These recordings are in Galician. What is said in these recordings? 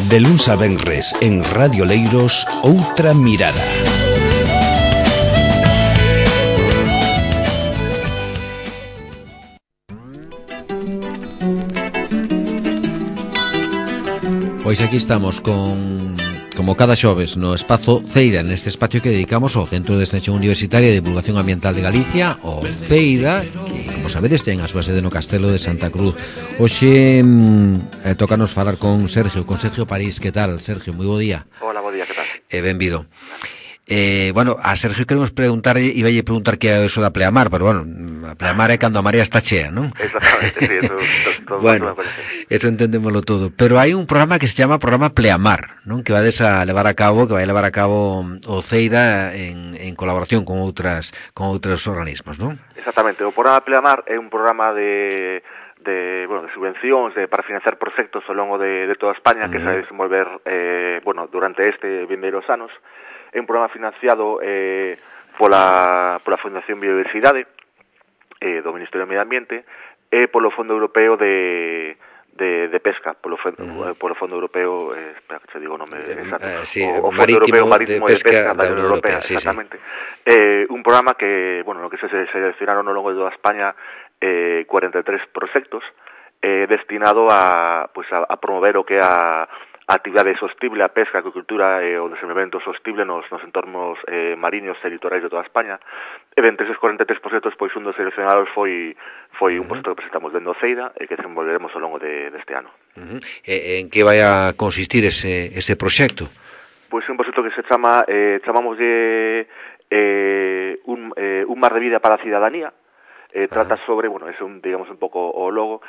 De luns a venres en Radio Leiros, Outra Mirada. Pois aquí estamos como cada xoves no espazo Ceida, neste espacio que dedicamos ao Centro de Extensión Universitaria de Divulgación Ambiental de Galicia, o CEIDA, que, como sabedes, ten a súa sede no Castelo de Santa Cruz. Hoxe tócanos falar con Sergio París. Que tal, Sergio? Moi bo día. Hola, bo día, que tal? Benvido. Bueno, a Sergio queremos preguntar, iballe preguntar que é eso da pleamar, pero bueno, a pleamar é cando a marea está chea, non? Exactamente, sí, eso todo bueno, eso entendémoslo todo. Pero hai un programa que se chama Programa Pleamar, non? Que vai a levar a cabo o CEIDA en colaboración con outros organismos, non? Exactamente, o programa Pleamar é un programa de subvencións para financiar proxectos ao longo de toda España que se vai desenvolver durante este vindeiros anos. É un programa financiado pola Fundación Biodiversidade do Ministerio do Medio Ambiente e polo Fondo Europeo de Pesca, polo Fondo Europeo, espera que te digo o nome exacto, o Fondo Europeo Marítimo de Pesca da Unión Europea, exactamente. Un programa que, no que se seleccionaron ao longo de toda España 43 proxectos destinado a promover o que é a actividade sostible, a pesca, a acuicultura e o desenvolvemento sostible nos entornos mariños e litorais de toda España. E entre eses 43 proxectos, pois un dos seleccionados foi un proxecto que presentamos dentro do CEIDA e que desenvolveremos ao longo deste ano. En que vai a consistir ese proxecto? Pois un proxecto que se chamamoslle un mar de vida para a cidadanía. Trata sobre, é un pouco o logo,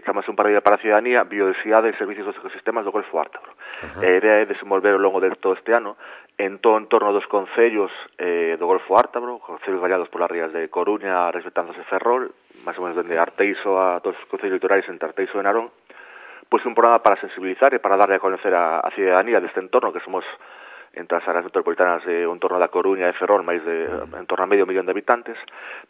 chamase un paraíso para a cidadanía, biodiversidade e servicios dos ecosistemas do Golfo Ártabro. A idea é desenvolver ao longo de todo este ano en torno dos concellos do Golfo Ártabro, concellos gallados polas rías de Coruña, Resbetanzos e Ferrol, máis ou menos dende Arteixo a todos os concellos litorais entre Arteixo e Narón, pois un programa para sensibilizar e para darle a conocer a cidadanía deste entorno, que somos entre as áreas metropolitanas de un torno da Coruña e Ferrol, máis de en torno a medio millón de habitantes,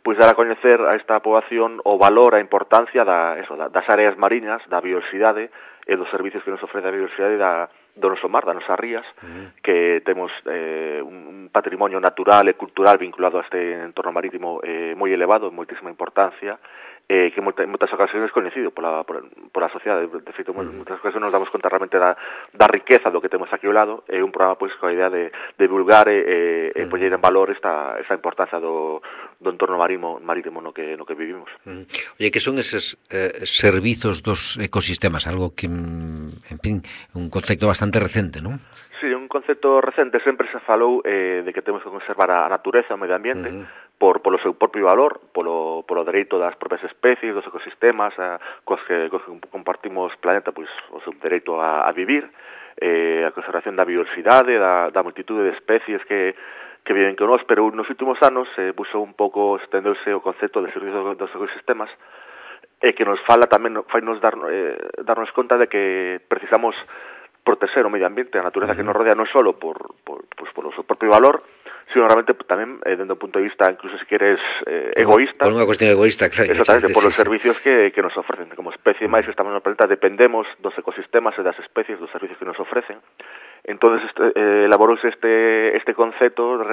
pois dar a coñecer a esta poboación o valor, a importancia das áreas mariñas, da biodiversidade e dos servicios que nos ofrece a biodiversidade do noso mar, das nosas rías, que temos un patrimonio natural e cultural vinculado a este entorno marítimo moi elevado, moitísima importancia, que en moitas ocasiones coñecido pola sociedade. De feito, en moitas ocasiones nos damos conta realmente da riqueza do que temos aquí ao lado. É un programa pois coa idea de divulgar e poñer en valor esta importancia do entorno marítimo no que vivimos. Oye, que son eses servizos dos ecosistemas, algo que, en fin, un concepto bastante recente, non? Sí, un concepto recente. Sempre se falou de que temos que conservar a natureza, o medio ambiente, polo seu propio valor, polo dereito das propias especies, dos ecosistemas, cos que compartimos planeta, pois o seu dereito a vivir, a conservación da biodiversidade, da multitude de especies que viven con nós, pero nos últimos anos puxo un pouco, estendeuse o concepto de servicios dos ecosistemas, e que nos fala tamén, fainos darnos conta de que precisamos proteger o medio ambiente, a natureza que nos rodea, non só por o seu propio valor, sino realmente tamén dende o punto de vista, incluso se queres, egoísta. Por unha cuestión egoísta, claro. Exactamente, por os servicios que nos ofrecen. Como especie máis que estamos no planeta, dependemos dos ecosistemas e das especies, dos servicios que nos ofrecen. Entón, elaborouse este concepto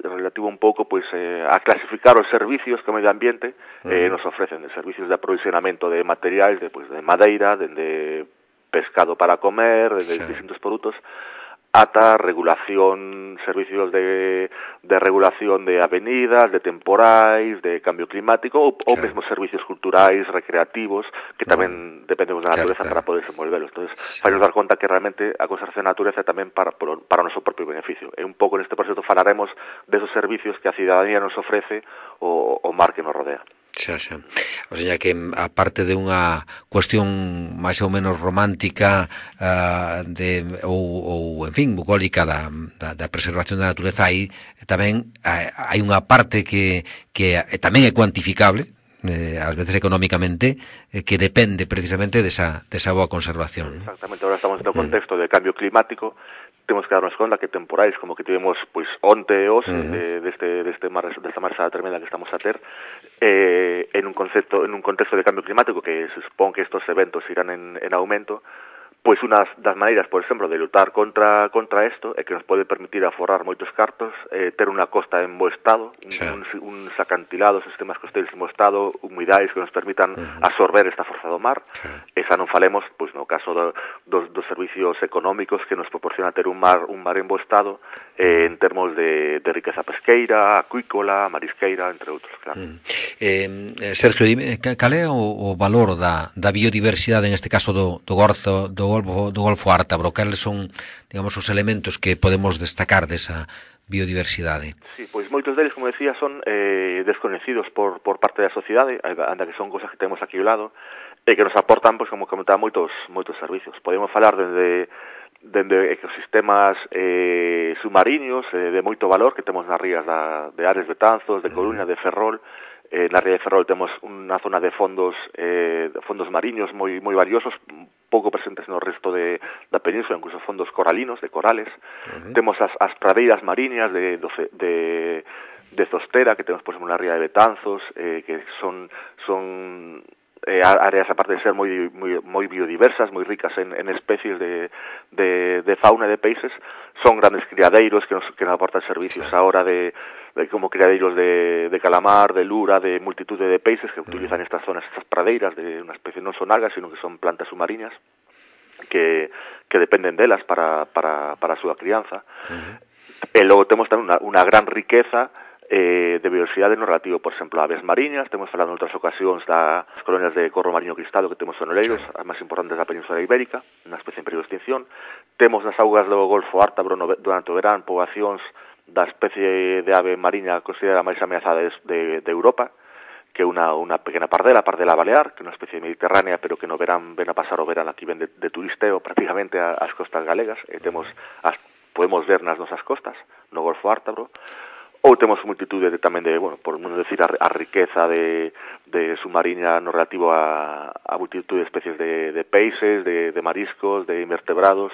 relativo un pouco a clasificar os servicios que o medio ambiente nos ofrecen, de servicios de aprovisionamento de materiais, de madeira, de pescado para comer, de distintos produtos, ata regulación, servicios de regulación de avenidas, de temporais, de cambio climático, ou mesmo servicios culturais, recreativos, que tamén dependemos da natureza para poder desenvolverlos. Entón, vai nos dar conta que realmente a conservación da natureza é tamén para o noso propio beneficio. E un pouco neste proxecto falaremos desos servicios que a cidadanía nos ofrece o mar que nos rodea. Xa. O sea, que aparte de unha cuestión máis ou menos romántica ou en fin, bucólica da preservación da natureza, aí tamén hai unha parte que tamén é cuantificable, ás veces económicamente, que depende precisamente desa boa conservación. Exactamente, agora estamos no contexto de cambio climático. Temos que darnos conta que temporais como que tivemos onte e hoxe desta marxada tremenda que estamos a ter en un contexto de cambio climático, que se supón que estos eventos irán en aumento, Pois unhas das maneiras, por exemplo, de lutar contra isto é que nos pode permitir aforrar moitos cartos, ter unha costa en bo estado, uns acantilados, sistemas costeiros en bo estado, humidais que nos permitan absorber esta forza do mar, e xa non falemos, pois no caso dos servicios económicos que nos proporciona ter un mar en bo estado, en termos de riqueza pesqueira, acuícola, marisqueira, entre outros, claro. Sergio, dime, cal é o valor da biodiversidade, en este caso do Golfo Ártabro? Cales son, digamos, os elementos que podemos destacar desa biodiversidade? Sí, pois moitos deles, como decía, son desconocidos por parte da sociedade, anda que son cosas que temos aquí ao lado, e que nos aportan, pois, como comentaba, moitos servicios. Podemos falar dende ecosistemas submarinos de moito valor que temos nas rías de Ares, Betanzos, de Coruña, de Ferrol. Na ría de Ferrol temos unha zona de fondos mariños moi valiosos, pouco presentes no resto da península, incluso fondos coralinos, de corales. Temos as pradeiras mariñas de Zostera, que temos, por exemplo, na ría de Betanzos, que son áreas, aparte de ser moi biodiversas, moi ricas en especies de fauna e de peixes, son grandes criadeiros que nos aportan servicios a hora de como criadeiros de calamar, de lura, de multitude de peixes que utilizan estas zonas, estas pradeiras de unha especie, non son algas, sino que son plantas submarinas que dependen delas para a súa crianza. E logo temos tamén unha gran riqueza de biodiversidade no relativo, por exemplo, a aves mariñas. Temos falado en outras ocasións das colonias de corro mariño cristado que temos en Oleiros, as máis importantes da Península Ibérica, unha especie en peligro de extinción. Temos nas augas do Golfo Ártabro durante o verán poboacións da especie de ave mariña considerada máis ameazada de Europa, que é unha pequena pardela balear, que é unha especie mediterránea, pero que no verán ven a pasar o verán aquí, ven de turisteo prácticamente ás costas galegas, e podemos ver nas nosas costas, no Golfo Ártabro. Ou temos multitude tamén de, por non decir, a riqueza de submarina no relativo a multitude de especies de peixes, de mariscos, de invertebrados,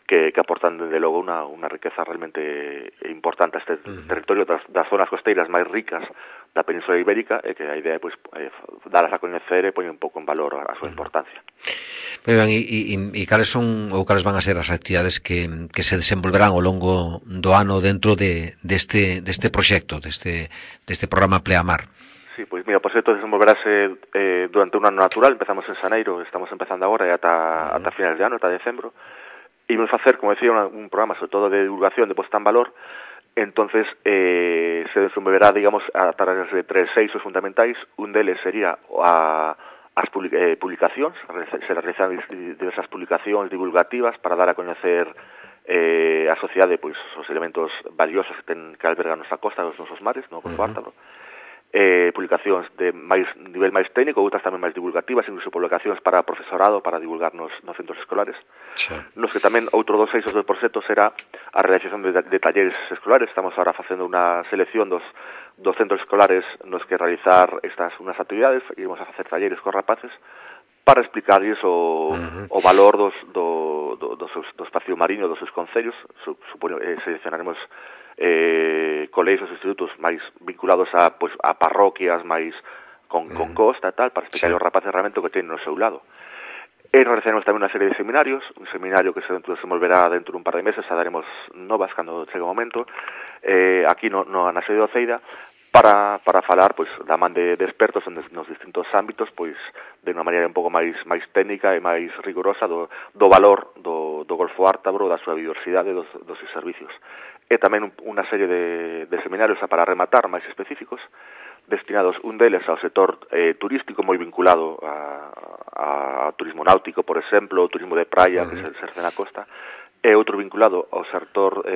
que aportan, desde logo, unha riqueza realmente importante a este territorio das zonas costeiras máis ricas da Península Ibérica, e que a idea é dalas a coñecer e poñer un pouco en valor a súa importancia. Moi ben, e cales son ou cales van a ser as actividades que se desenvolverán ao longo do ano dentro deste proxecto, deste programa Pleamar? Sí, pois mira, o proxecto desenvolverase durante un ano natural. Empezamos en xaneiro, estamos empezando agora e ata finales de ano, ata decembro. E vamos facer, como decía, un programa sobre todo de divulgación, de posta en valor. Entonces se desenvolverá, digamos, a través de 3 eixos fundamentais. Un deles sería as publicacións, se realizan diversas publicacións divulgativas para dar a coñecer a sociedade, pois, os elementos valiosos que albergan nosa costa, os nosos mares, no Golfo Ártabro. Publicacións de nivel máis técnico, outras tamén máis divulgativas, incluso publicacións para profesorado, para divulgar nos centros escolares. Nos que tamén outro dos eixos do proxecto será a realización de talleres escolares. Estamos ahora facendo unha selección dos centros escolares nos que realizar unas actividades, e vamos a facer talleres con rapaces para explicarlles o valor do espacio mariño, dos seus concellos. Seleccionaremos colexios, institutos máis vinculados a parroquias máis con costa e tal, para explicar aos rapaces realmente o que teñen no seu lado. E nos realizaremos tamén unha serie de seminarios, un seminario que se desenvolverá dentro dun par de meses, a daremos novas cando chegue o momento, aquí na sede de Oceida, para falar da man de expertos nos distintos ámbitos, de unha maneira un pouco máis técnica e máis rigurosa do valor do Golfo Ártabro, da súa biodiversidade, dos seus servicios. E tamén unha serie de seminarios para rematar máis específicos, destinados un deles ao sector turístico, moi vinculado a turismo náutico, por exemplo, o turismo de praia, que se exerce na costa, e outro vinculado ao sector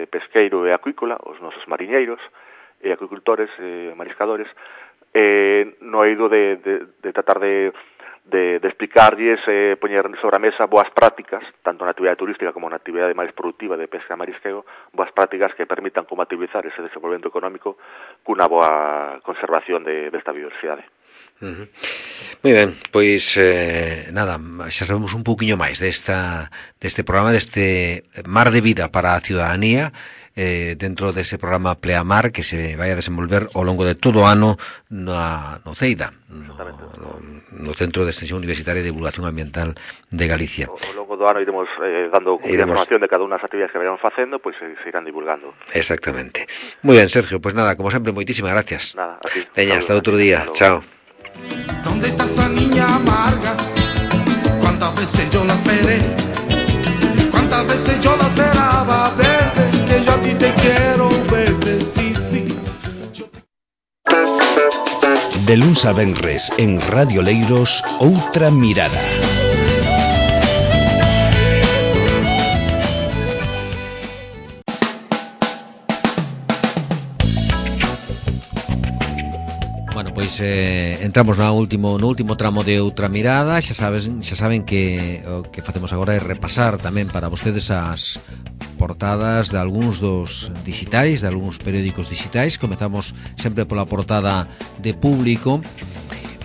pesqueiro e acuícola, os nosos mariñeiros e acuicultores, mariscadores, no eido de tratar de explicarlles, poñer sobre a mesa boas prácticas, tanto na actividade turística como na actividade máis productiva de pesca e marisqueo, boas prácticas que permitan compatibilizar ese desenvolvemento económico cunha boa conservación desta biodiversidade. Moi ben, pois nada, xa sabemos un pouquiño máis deste programa, deste Mar de Vida para a Ciudadanía, dentro dese programa Pleamar que se vai a desenvolver ao longo de todo o ano no CEIDA, no Centro de Extensión Universitaria e Divulgación Ambiental de Galicia. Ao longo do ano iremos dando información de cada unha das actividades que vayan facendo, pois se irán divulgando. Exactamente. Moi ben, Sergio, pois nada, como sempre, moitísimas gracias. Nada, a ti. Veña, hasta outro día. Chao. ¿Dónde está esa niña amarga? ¿Cuántas veces yo la esperé? ¿Cuántas veces yo la esperaba verde? Que yo a ti te quiero verde, sí, sí. De luns a venres en Radio Leiros, Outra Mirada. Bueno, pois entramos no último tramo de Outra Mirada. Xa saben que o que facemos agora é repasar tamén para vostedes as portadas de algúns dos digitais, de algúns periódicos digitais. Comezamos sempre pola portada de Público.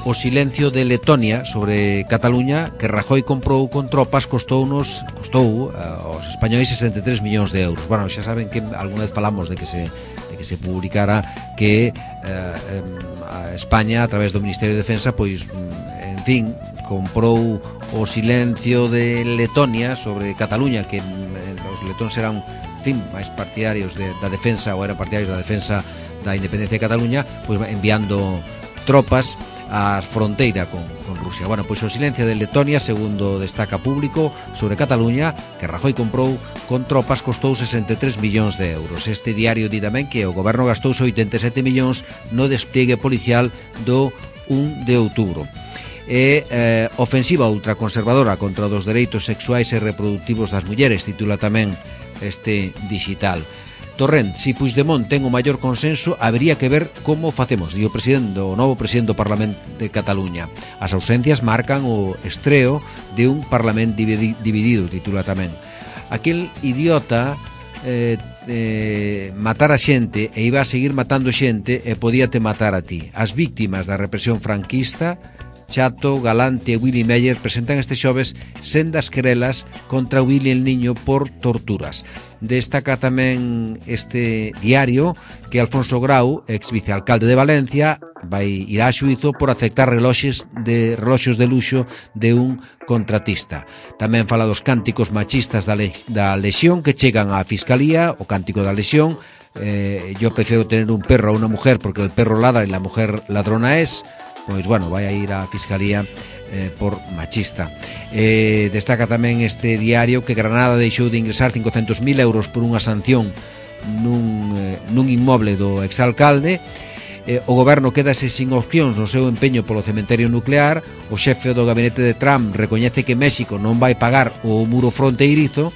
O silencio de Letonia sobre Cataluña que Rajoy comprou con tropas costou aos españois 63 millóns de euros. Bueno, xa saben que algunha vez falamos de que se publicara que a España, a través do Ministerio de Defensa, pois, en fin, comprou o silencio de Letonia sobre Cataluña, que os letóns eran, en fin, máis partidarios da defensa, ou eran partidarios da defensa da independencia de Cataluña, pois enviando tropas á fronteira con Rusia. Bueno, pois o silencio de Letonia, segundo destaca Público, sobre Cataluña, que Rajoy comprou con tropas, costou 63 millóns de euros. Este diario di tamén que o goberno gastou 87 millóns no despliegue policial do 1 de outubro. Ofensiva ultraconservadora contra os dereitos sexuais e reproductivos das mulleres, titula tamén este digital. Torrent, si Puigdemont ten o maior consenso, habería que ver como facemos, di o novo presidente do Parlamento de Cataluña. As ausencias marcan o estreo de un Parlamento dividido, titula tamén. Aquel idiota matar a xente e iba a seguir matando xente e podíate matar a ti. As víctimas da represión franquista, Chato, Galante e Willy Meyer, presentan este xoves sendas querelas contra Willy el Niño por torturas. Destaca tamén este diario que Alfonso Grau, ex vicealcalde de Valencia, irá a xuízo por aceptar reloxos de luxo de un contratista. Tamén fala dos cánticos machistas da Lexión que chegan á Fiscalía, o cántico da Lexión. Yo prefiero tener un perro a una mujer porque el perro ladra y la mujer ladrona es. Pois, bueno, vai a ir á Fiscalía por machista. Destaca tamén este diario que Granada deixou de ingresar 500.000 euros por unha sanción nun inmoble do exalcalde. O goberno quedase sin opcións no seu empeño polo cementerio nuclear. O xefe do gabinete de Trump recoñece que México non vai pagar o muro fronteirizo.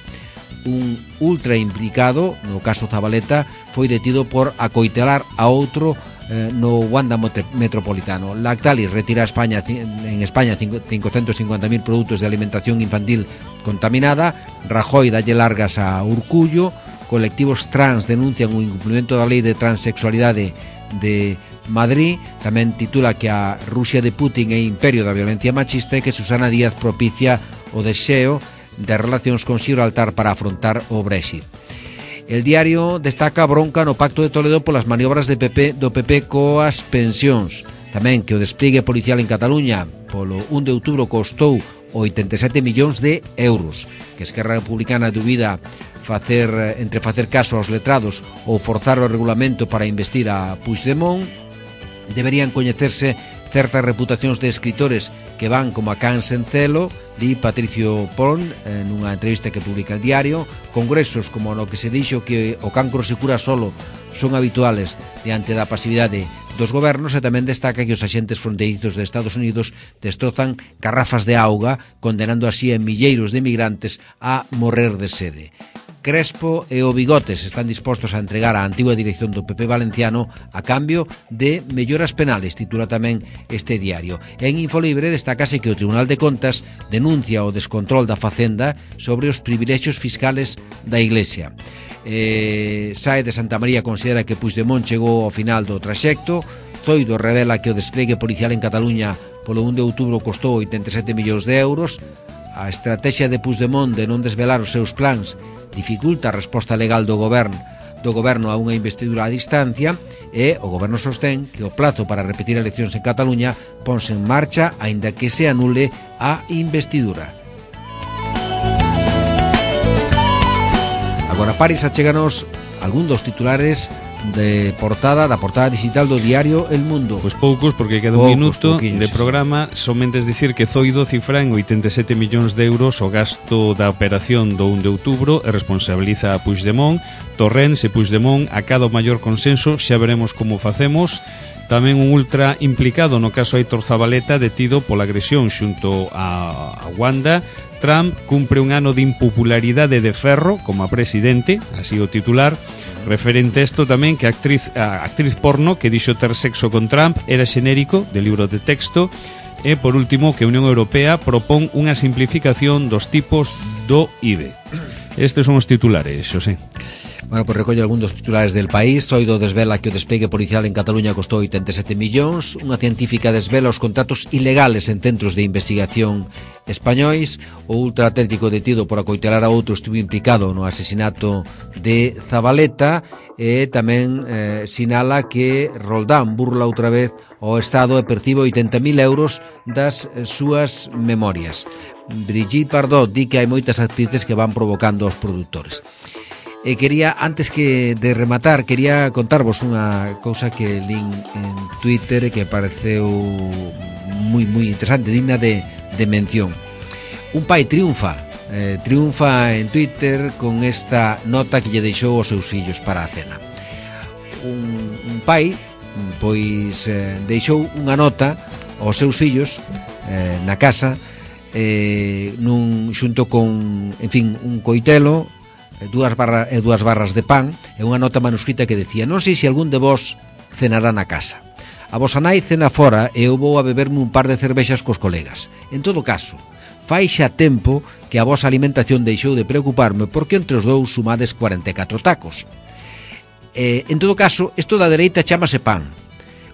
Un ultra implicado, no caso Zabaleta, foi detido por acoitelar a outro no Wanda Metropolitano. Lactalis retira en España 550.000 produtos de alimentación infantil contaminada. Rajoy dalle largas a Urcullo. Colectivos trans denuncian o incumplimento da lei de transexualidade de Madrid. Tamén titula que a Rusia de Putin é imperio da violencia machista e que Susana Díaz propicia o deseo de relacións con Gibraltar para afrontar o Brexit. El diario destaca a bronca no Pacto de Toledo polas maniobras do PP coas pensións. Tamén que o despliegue policial en Cataluña polo 1 de outubro costou 87 millóns de euros. Que Esquerra Republicana dubida entre facer caso aos letrados ou forzar o regulamento para investir a Puigdemont. Deberían coñecerse certas reputacións de escritores que van como a can sen celo, di Patricio Pon nunha entrevista que publica el diario. Congresos como no que se dixo que o cancro se cura solo son habituales diante da pasividade dos gobernos, e tamén destaca que os axentes fronteirizos de Estados Unidos destrozan garrafas de auga, condenando así a milleiros de migrantes a morrer de sede. Crespo e o Bigotes están dispostos a entregar a antigua dirección do PP valenciano a cambio de melloras penales, titula tamén este diario. En Infolibre destácase que o Tribunal de Contas denuncia o descontrol da Facenda sobre os privilexios fiscales da Iglesia. Sae de Santa María considera que Puigdemont chegou ao final do traxecto. Zoido revela que o despliegue policial en Cataluña polo 1 de outubro costou 87 millóns de euros. A estrategia de Puigdemont de non desvelar os seus plans dificulta a resposta legal do goberno a unha investidura a distancia, e o goberno sostén que o plazo para repetir eleccións en Cataluña ponse en marcha aínda que se anule a investidura. Agora Paris achéganos algún dos titulares da portada digital do diario El Mundo. Pois poucos, porque queda un minuto de programa. Somente dicir que Zoido cifra en 87 millóns de euros o gasto da operación do 1 de outubro e responsabiliza a Puigdemont. Torrens e Puigdemont a cada o maior consenso, xa veremos como facemos. Tamén un ultra implicado no caso Aitor Zabaleta, detido pola agresión xunto a Wanda. Trump cumpre un ano de impopularidade de ferro como a presidente, así o titular. Referente a isto tamén que a actriz porno que dixo ter sexo con Trump era xenérico de libro de texto. E por último que a Unión Europea propón unha simplificación dos tipos do IVE. Estes son os titulares, Xosé. Bueno, pues recolle algún dos titulares del País. Zoido desvela que o despegue policial en Cataluña costou 87 millóns. Unha científica desvela os contratos ilegales en centros de investigación españois. O ultraatlético detido por acoitelar a outro estivo implicado no asesinato de Zabaleta. E tamén sinala que Roldán burla outra vez o Estado e percibe 80.000 euros das súas memorias. Brigitte Bardot di que hai moitas actrices que van provocando aos produtores. E quería, antes que de rematar, quería contarvos unha cousa que lín en Twitter e que pareceu moi interesante, digna de mención. Un pai triunfa en Twitter con esta nota que lle deixou aos seus fillos para a cena. Un pai, pois, deixou unha nota aos seus fillos na casa, xunto con, en fin, un coitelo, dúas barras de pan e unha nota manuscrita que decía: non sei se algún de vos cenará na casa. A vosa nai cena fora e eu vou a beberme un par de cervexas cos colegas. En todo caso, fai xa tempo que a vosa alimentación deixou de preocuparme porque entre os dous sumades 44 tacos. En todo caso, isto da dereita chámase pan.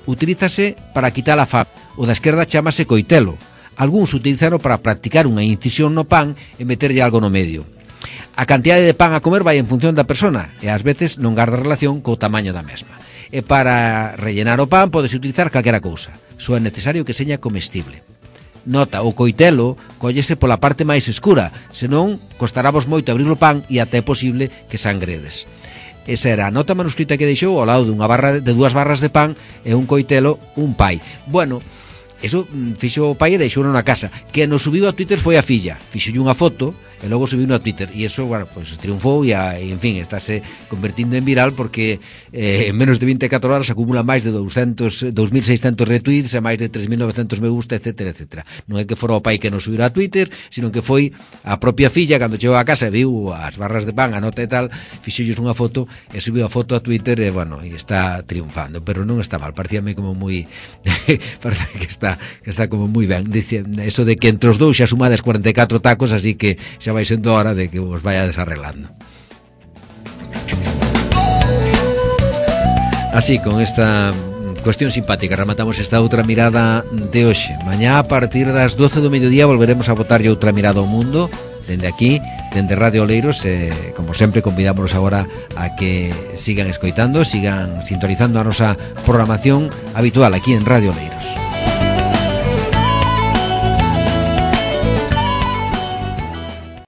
Utilízase para quitar a fame. O da esquerda chámase coitelo. Algúns utilizaron para practicar unha incisión no pan e meterlle algo no medio. A cantidade de pan a comer vai en función da persona e ás veces non garda relación co tamaño da mesma. E para rellenar o pan podes utilizar calquera cousa, só é necesario que seña comestible. Nota, o coitelo collese pola parte máis escura, senón costarávos moito abrir o pan e até é posible que sangredes. Esa era a nota manuscrita que deixou ao lado de dúas barras de pan e un coitelo, un pai. Bueno, eso fixo o pai e deixouno na casa. Que nos subiu a Twitter foi a filla, fixolle unha foto e logo subiu a Twitter e eso, bueno, pues triunfou e en fin, estáse convertindo en viral porque en menos de 24 horas acumula máis de 2.600 retweets e máis de 3.900 me gusta, etcétera, etcétera. Non é que fora o pai que nos subiu a Twitter, sino que foi a propia filla cando chegou a casa e viu as barras de pan, a nota e tal, fixolles unha foto e subiu a foto a Twitter e, bueno, e está triunfando, pero non está mal, parecíame como moi parece que está como moi ben. Dice, eso de que entre os dous xa sumades 44 tacos, así que xa vai sendo hora de que vos vaya desarreglando. Así, con esta cuestión simpática rematamos esta outra mirada de hoxe. Mañá a partir das 12 do mediodía volveremos a botarlle outra mirada ao mundo dende aquí, dende Radio Oleiros, como sempre convidámonos agora a que sigan escoitando, sigan sintonizando a nosa programación habitual aquí en Radio Oleiros.